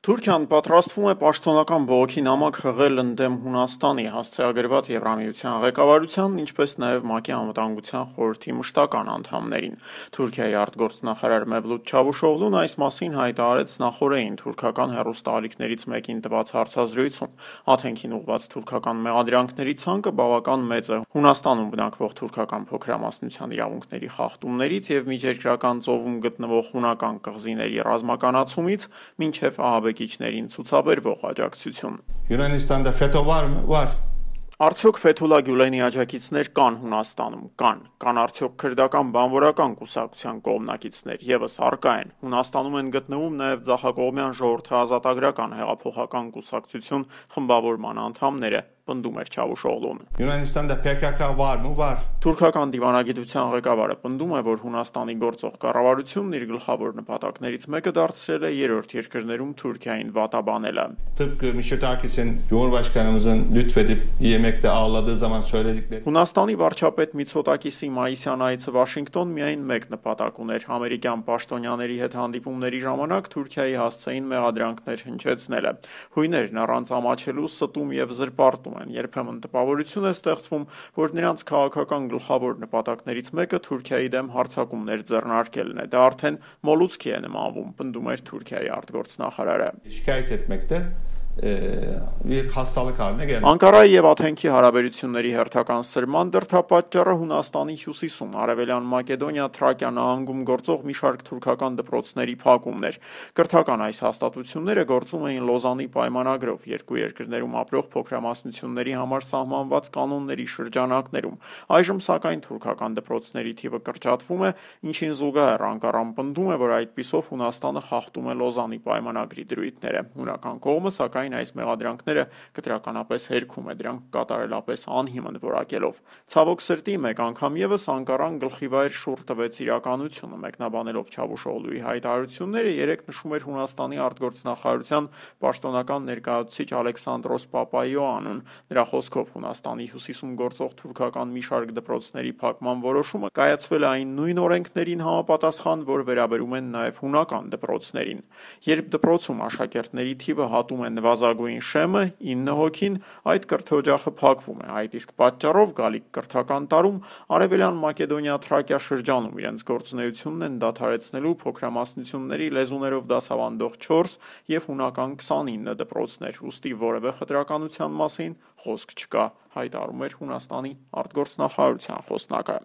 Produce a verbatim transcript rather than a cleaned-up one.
Թուրքիան պատրաստվում է պաշտոնական բողոքի նամակ հղել ընդդեմ Հունաստանի հասցեագրված Եվրամիության ղեկավարության, ինչպես նաև ՄԱԿ-ի անվտանգության խորհրդի մշտական անդամներին։ Թուրքիայի արտգործնախարար Մևլութ Չավուշօղլուն այս մասին հայտարարեց նախօրեին թուրքական հեռուստաալիքներից մեկին տված հարցազրույցում։ Աթենքին ուղղված թուրքական մեղադրանքների ցանկը բավական մեծ է Հունաստանում բնակվող թուրքական փոքրամասնության իրավունքների խախտումներից եւ միջերկրական ծովում գտնվող հունական կղզիների ռազմականացումից մինչեւ ահաբեկիչներին ցուցաբերվող աջակցություն։ Յունանստанда ֆետո վար վար Արդյոք Ֆեթուլա Գյուլենի աջակիցներ կան Հունաստանում, կան, կան արդյոք քրդական բանվորական կուսակցության կողմնակիցներ եւս առկա են։ Հունաստանում են գտնվում նաեւ Ձախակողմյան ժողովրդի ազատագրական հեղափոխական կուսակցություն խմբավորման անդամները, պնդում էր Չավուշօղլուն։ Յունանստанда Պե Կե Կա վար ու վար Թուրքական դիվանագիտության ղեկավարը պնդում է, որ Հունաստանի գործող կառավարությունն իր գլխավոր նպատակներից մեկը դարձրել է երրորդ երկրներում Թուրքիային վատաբանելը։ Tıpkı Mitsotakis'in Cumhurbaşkanımızın lütfedip yemekte ağladığı zaman söyledikleri. Հունաստանի վարչապետ Միցոտակիսի մայիսյան այցը Վաշինգտոն միայն մեկ նպատակ ուներ՝ ամերիկյան պաշտոնյաների հետ հանդիպումների ժամանակ Թուրքիայի հասցեին մեղադրանքներ հնչեցնելը։ Հույներն առանց ամաչելու ստում եւ զրպարտում են, երբեմն տպավորություն է ստեղծվում, որ նրանց քաղաքական գլխավոր նպատակներից մեկը Թուրքիայի դեմ հարձակումներ ձեռնարկելն է։ Դա արդեն մոլուցքի է նմանվում, պնդում էր Թուրքիայի արտգործնախարարը։ Şikayet etmekte bir hastalık haline geldi. Անկարայի եւ Աթենքի հարաբերությունների հերթական սրման դրդապատճառը Հունաստանի հյուսիսում Արևելյան Մակեդոնիա Թրակիա նահանգում գործող մի շարք թուրքական դպրոցների փակումն էր։ Կրթական այս հաստատությունները գործում էին Լոզանի պայմանագրով երկու երկրներում ապրող փոքրամասնությունների համար սահմանված կանոնների շրջանակներում։ Այժմ սակայն թուրքական դպրոցների թիվը կրճատվում է, ինչին զուգահեռ Անկարան պնդում է, որ այդպիսով Հունաստանը խախտում է Լոզանի պայմանագրի դրույթները։ Հունական կողմը սակայն այս մեղադրանքները կտրականապես հերքում է, դրանք կատարելապես անհիմն որակելով։ Ցավոք սրտի մեկ անգամ եւս Անկարան գլխիվայր շուռ տվեց իրականությունը, մեկնաբանելով Չավուշօղլուի հայտարարությունները, երեկ նշում էր Հունաստանի արտգործնախարարության պաշտոնական ներկայացուցիչ Ալեքսանդրոս Պապայոանուն։ Նրա խոսքով Հունաստանի հյուսիսում գործող թուրքական մի շարք դպրոցների փակման որոշումը կայացվել է այն նույն օրենքներին համապատասխան, որ վերաբերում են նաեւ հունական դպրոցներին։ Երբ դպրոցում աշակերտների թիվը հատում է նվազագույն շեմը ինը հոգին, այդ կրթօջախը փակվում է։ Այդ իսկ պատճառով գալիք կրթական տարում Արևելյան Մակեդոնիա Թրակիա շրջանում իրենց գործունեությունն են դադարեցնելու փոքրամասնությունների լեզուներով դասավանդող չորս եւ հունական քսանինը դպրոցներ, ուստի որևէ խտրականության մասին խոսք չկա, հայտարարում էր Հունաստանի արտգործնախարարության խոսնակը։